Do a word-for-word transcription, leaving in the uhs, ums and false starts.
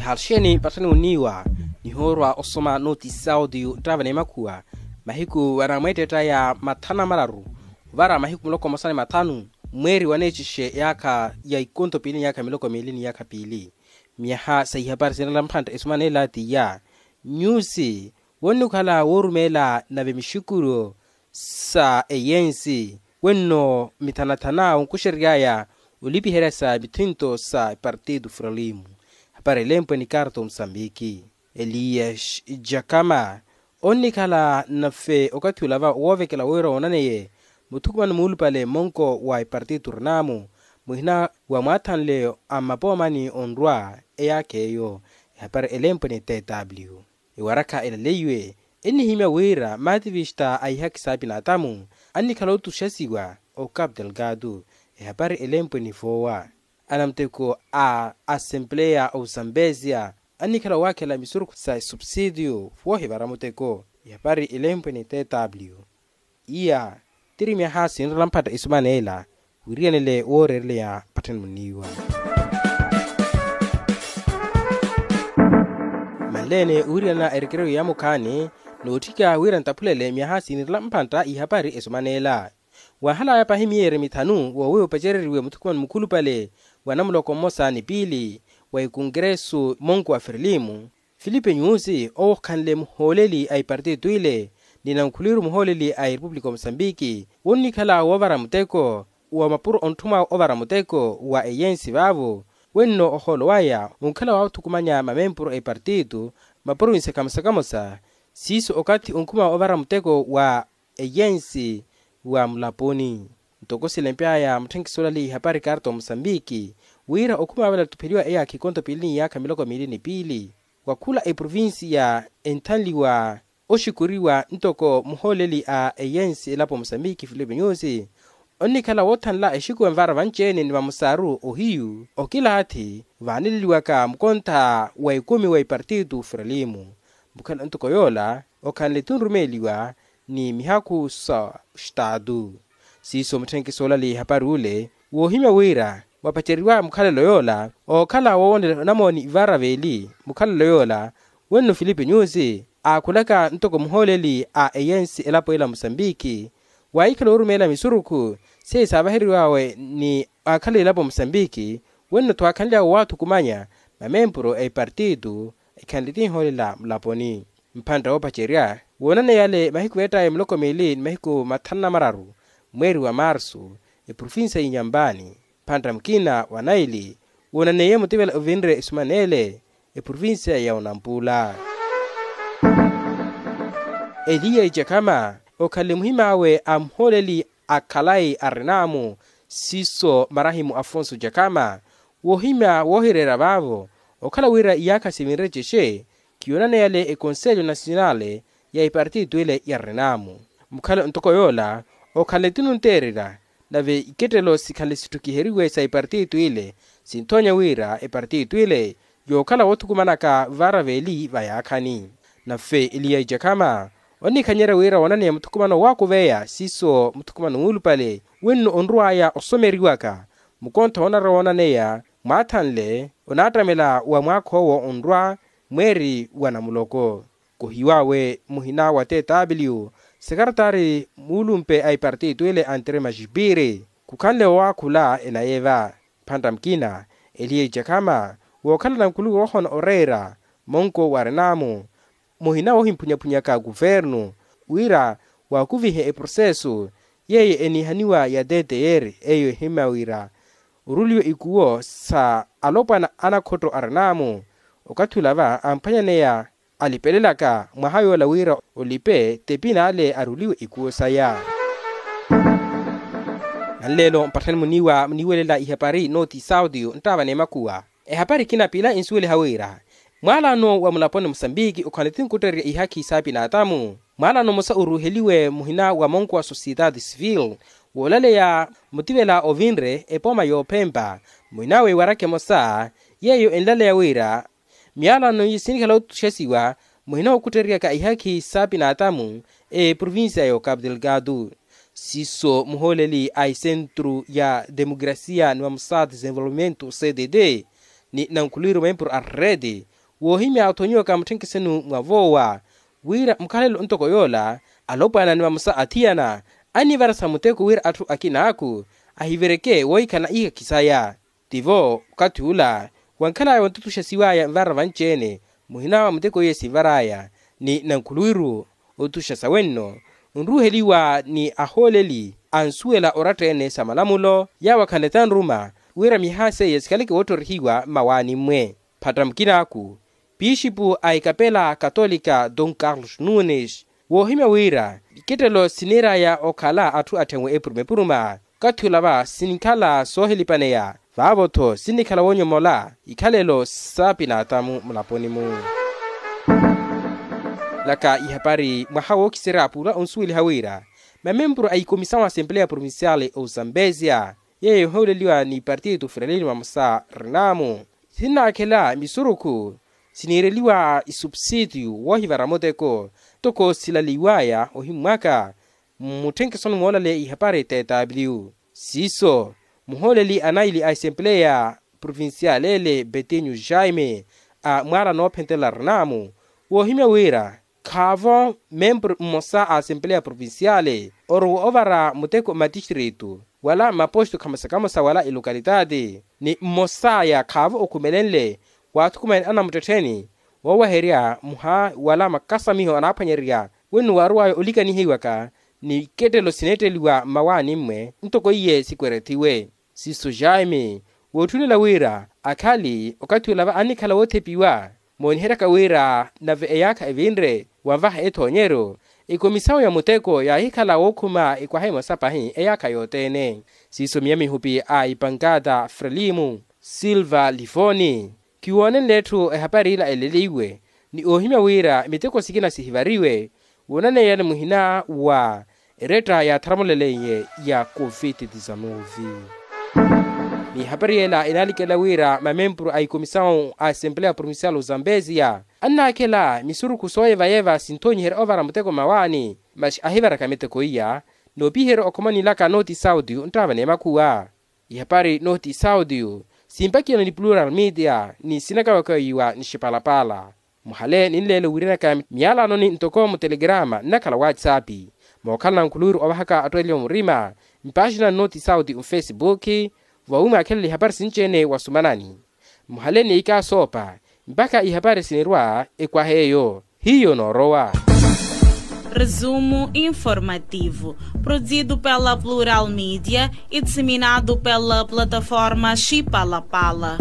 Halxeni patthani muniiwa nihoorwa osoma nooti sautiyu nttaava n'emakhuwa mahiku anamweetteetta ya mathanu na mararu ovara mahiku muloko mmosa ni mathanu mweeri waneecixe yaakha ya ikonto piili ni yaakha miloko miili ni yaakha piili. Myaha sa ihapari sinrela mphantta esoma neela tiya nyusi wonnikhala woorumeela nave mixukulo sa eyensi wenno mithanathana onkuxereryaya olipiherya sa mithinto sa partido fralimu. Hapari elempwe ni karto musambiki elias jakama onnikhala nafe okathi olava woovekela wira woonaneye muthukumano muulupale mmonko wa epartitu rinamu muhina wa mwaathanle a mmapoomani onrwa eyaakha eyo. Ehapari elempwe ni tw ewarakha elaleiwe ennihimya wira maativista a ihaki sa apinatamu annikhala otuxasiwa o capital gado. Ehapari elempwe ni voowa anamuteko a asempleya osambesia annikhala owaakhela misurukhu sa esupsidio woohivara muteko. Ihapari elempwe ni tw iya tiri myaha sinrela mphatta esumana ela wiriyanele wooreereleya patthani muniiwa. Manleene owiriyana erekereyo ya mukhaani nootthika wira nttaphulele myaha sinrela mphantta ihapari esumana ela. Waahalaya pahi miyeeri mithanu woowiwa opacereriwe muthukumano mukhulupale wa namuloko mmosa ni piili wa ekonkeresu mmonko wa ferlimu filipe nyusi owo okhanle muhooleli a epartitu ile ni nankhuliru muhooleli a erepupulika omosambiki wonnikhala woovara muteko wa mapuro ontthuma ovara muteko wa eyensi vaavo wenno ohoolo waya onkhala waathukumanya mamempuru a epartitu maprovinsi kamosa kamosa siiso okathi onkhuma ovara muteko wa eyensi wa mulaponi. Ntoko silempyaya mutthenkiso olali ihapari karto musambiki wira okhuma vale attupheliwa eyaakha ikonto piili ni yaakha miloko miili ni piili wa khula eprovinsi ya enthanliwa oxikuriwa ntoko muhooleli a eyensi elapo musambiki filipe nyusi onnikhala woothanla exikuwa envara vanci-ene ni vamusaaru ohiyu okilaathi vaaneleliwaka mukontha wa ekumi wa epartitu fralimu. Mukhala ntoko yoola okhanle-tho nrumeeliwa ni mihakhu sa ostaatu. Siiso mutthenkiso olali ihapari ule woohimya wira wapaceriwa mukhalelo yoola ookhala woowonelela onamooni ivara veeli mukhalelo yoola wenno filipe nyusi aakhulaka ntoko muhooleli a eyensi elapo ela musambiki waahikhala orumeela misurukhu seiyo saavaheriwawe ni aakhala elapo musambiki wenno-tho aakhanly'awe waathukumanya mamempuru a epartitu ekhanle tinhoolela mulaponi. Mphantta woopacerya woonaneya ale mahiku eettaya miloko miili ni mahiku mathanu na mararu mweeri wa marsu eprovinsiya y'inyampani mphantta mukina wa naili woonaneiye mutivela ovinre esumana ele eprovinsiya ya onampula. Eliya ijakhama okhanle muhim'awe a muhooleli a khalayi arinaamu siiso marahimu afonso jakhama woohimya woohireera vaavo okhala wira iyaakha sivinre cexe khiyoonaneyale ekonselyo nasionale ya epartitu ile ya renamu. Mukhala ntoko yoola okhanle ti nunteererya nave ikettelo sikhanle sittukiheriwe sa epartitu ile sinthoonya wira epartitu ile yookhala woothukumanaka vaara veeli vayaakhani. Nafe eliya ijakhama onnikhanyerya wira woonaneya muthukumano waakuveya siiso muthukumano muulupale wenno onrw'aya osomeriwaka mukontho onarwa woonaneya mwaathanle onaattamela wa mwaakha owo onrwa mweeri wa namuloko. Kohiw'awe muhina wa tw sekaretari muulumpe a epartitu ile antre majipiri khukhanle owaakhula enayi eva. Mphantta mukina eliya ijakhama wookhala nankuluku woohoona oreera monko wa renamu muhina woohimphunyaphunyaaka kuvernu wira waakuvihe eprosesu yeeyo eniihaniwa ya ttr eyo ehimya wira oruliwe ikuwo sa alopwana anakhotto a renamu. Okathi olava amphwanyaneya alipelelaka mwaha yoola wira olipe tepina ale aruliwe ikuwo saya. Nanleelo mpatthani muniiwa muniiwelela ihapari nooti saudio nttaava n'emakhuwa. Ehapari ekina piila ensuweliha wira mwaalaano wa mulaponi musambiki okhanle ti nkuttererya ihakhi saapinatamu mwaalaano mmosa oruuheliwe muhina wa monko wa sosiyetaati sivile woolaleya mutivela ovinre epooma yoophempa muhina w'ewaraka emosa yeeyo enlaleya wira myaalaano iye sinikhala otuxasiwa muhina okuttereryaka ihakhi saapinatamu eprovinsiya ya okapu delgado. Siiso muhooleli a esentru ya demokrasiya ni mamusa desenvolvimento cdd ni nankhuluwiru mempuru a rreti woohimya othonyiwaka mutthenkhesenu mwa voowa wira mukhalelo ntoko yoola alopwana ni vamosa athiyana anivara sa muteko wira atthu akinaaku ahivireke woohikhala ihakhi saya. Tivo okathi ula wankhalaya wantutuxasiwaya nvara vanci-ene muhina wa muteko iye sinvaraya ni nankhuluwiru otutuxasa wenno nruuheliwa ni ahooleli ansuwela oratta-ene sa malamulo yawo akhanle tanruma wira mihaha seiye sikhaleke woottorihiwa mmawaani-mwe. Phatta mukinaaku pixipu a ikapela katolika don carlos nunes woohimya wira ikettelo siniiraya okhala atthu atthenwe epuruma-epuruma okathi olava sinkhala soohilipaneya vaavo-tho sinnikhala woonyomola ikhalelo saapinaatamu mulaponi-mu. Laka ihapari mwaha wookiserya pula onsuweliha wira mamempuru a ikomisawu a asempeleya provinciale ozambezia yeeyo ehooleliwa ni partitu frelini vamosa rinamu sinnaakhela misurukhu siniireliwa isupsitiyu woohivara muteko ntoko silaliwaya ohimmwaka mmutthenkhesoni moolaleya ihapari tw siiso muhooleli anaili a esempeleya provincial ele betinyu jaime a mwaala noophentela rinamu woohimya wira khaavo membru mmosa a asempeleya provinciale orowa ovara muteko mmatistritu wala mmaposto khamosa kamosa wala elokalitati ni mmosaya khaavo okhumelenle waathukumani anamuttettheni wooweherya muha wala makasamiho anaaphwanyererya wenno waarowaya olikanihiwaka ni ikettelo sineetteliwa mmawaani-mwe ntoko iye sikwerethiwe siiso jaime wootthunela wira akhali okathi olava annikhala woothepiwa mooniheryaka wira nave eyaakha evinre wanvaha ethoonyeryo ekomisawu ya muteko yaahikhala wookhuma ekwaha emosa pahi eyaakha yothene siiso miya mihupi a ipankata frelimu silva livoni kiwoonenle etthu ehapari ila eleleiwe ni oohimya wira miteko sikina sihivariwe woonaneeyani muhina wa eretta yaatharamuleleiye ya covid-19. Ni ehapari ela enaalikela wira mamempuru a ikomisawu a asempeleya provincial ozambezia annaakhela misurukhu sooyeva-yeva sinthoonyiherya ovara muteko mmawaani masi ahivaraka miteko iya noopiherya okhoma onilaka nooti sauti nttaavane makhuwa ihapari nooti sauti simpakiyana ni plural media ni sinakawakawiwa ni xipalapala muhale ninleelo wiiranaka miyalanoni ntoko mutelegrama nnakhala whatsapp mookhala nankhuluwiru ovahaka atthu eliwa murima mpaaxina nnooti sauti mfesibuki vawimwaakhelela ihapari sinci-ene wasumanani muhale ni ikaasoopa mpakha ihapari sinirwa ekwaha eyo hiyo noorowa. Resumo informativo, produzido pela Plural Mídia e disseminado pela plataforma Chipalapala.